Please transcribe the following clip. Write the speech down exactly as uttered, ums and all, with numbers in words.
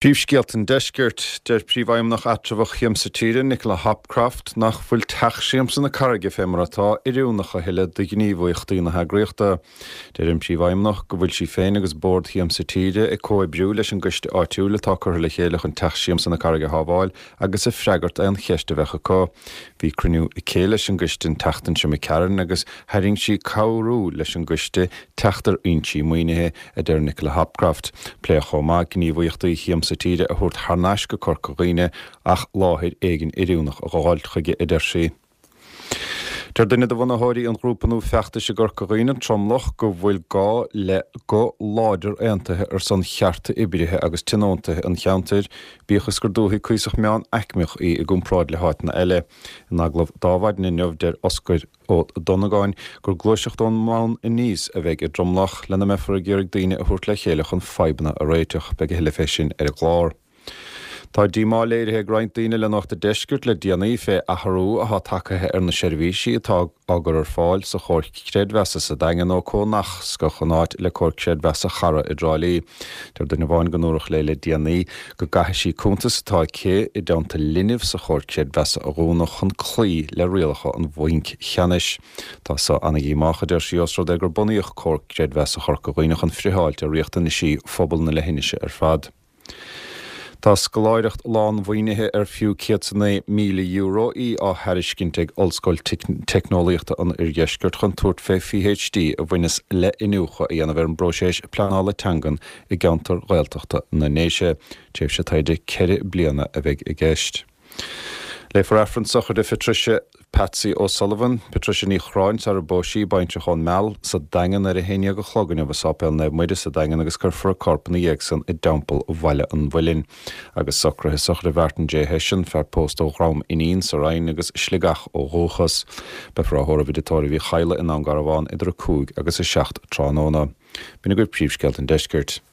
Príomhscéalta an Deiscirt, deir Príomhfheidhmeannach eatramhach Shiamsa Tíre, Nicola Hopcroft, nach bhfuil Teach Siamsa na Carraige fé mar atá oiriúnach a thuilleadh do ghníomhaíochtaí na heagraíochta. Deir an Príomhfheidhmeannach go bhfuil sí féin agus Bord Shiamsa Tíre ag comhoibriú leis an gcoiste áitiúil atá curtha le chéile chun Teach Siamsa na Carraige a shábháil agus ag freagairt aon cheist a bheadh acu. Bhí cruinniú aici leis an gcoiste an tseachtain seo imigh tharainn agus tharraing sí cabhrú leis an gcoiste teacht ar fhoinsí maoinithe, a deir Nicola Hopcroft. Pléadh chomh maith gníomhaíochtaí Shiamsa Tíre a thabhairt thar n-ais go Corca Dhuibhne ach láthair éigin oiriúnach a dh'fháilt chuige, a deir sí. Deir duine de bhunaitheoirí an ghrúpa nua feachtais i gCorca Dhuibhne, Tromlach, go bhfuil gá le guth láidir aontaithe ar son chearta oibrithe agus tionóntaithe an cheantair, bíodh is gur dúthaigh cuíosach meánaicmeach í i gcomparáid le háiteanna eile. In agallamh d'Adhmhaidin inniu, deir Oscar Ó Donnagáin gur gluaiseacht ón mbonn aníos a bheidh i dTromlach, lena mbeifear ag iarraidh daoine a thabhairt le chéile chun fadhbanna a réiteach. Beidh a thuilleadh fé sin ar an gclár. Tá díomá léirithe ag roinnt daoine le Nuacht an Deiscirt le déanaí fé athrú atá tagtha ar na seirbhísí atá á gcur ar fáil sa Chomhar Creidmheasa sa Daingean ó comhnascadh an áit le Comhar Creidmheasa Chara i dTrá Lí. Deir duine amháin go ndúradh léi le déanaí go gcaithfidh sí cuntas atá aici i dteannta linbh sa Chomhar Creidmheasa a dhúnadh chun cloí le rialacha an Bhainc Cheannais. Tá so ana-dhíomách, a deir sí, os rud é gur bunaíodh Comhar Creidmheasa Chorca Dhuibhne chun friotháilt ar riachtanaisí phobal na leithinise ar fad. Tá scoláireacht lánmhaoinithe ar fiú céad 's a naoi míle euro í á thairiscint ag Ollscoil Teicneolaíochta an Oirdheiscirt chun tabhairt fé PhD a bhaineas le iniúchadh a dhéanamh ar an bpróiseas pleanála teangan i gceantar Ghaeltachta na nDéise. Tréimhse taighde ceithre bliana a bheidh i gceist. Léifear Aifreann sochraide Phatricia Patsy O'Sullivan, Patricia Ní Chorráin, sar a phós sí, baintreach ón Meal, sa Daingean ar a haon déag a chlog inniu i Sáipéal Naomh Muire sa Daingean agus cuirfear a corp ina dhiaidh san i dTeampall Bhaile an Mhuilinn. Agus socruithe sochraide Mhartin J Hession, fear pósta ó Dhrom Inín sa Rinn agus Sligeach ó dhúchas. Beifear á thórramh i dTigh Tórraimh Uí Chadhla i nDún Garbhán idir a cúig agus a seacht tráthnóna. B'in agaibh príomhscéalta an deiscirt.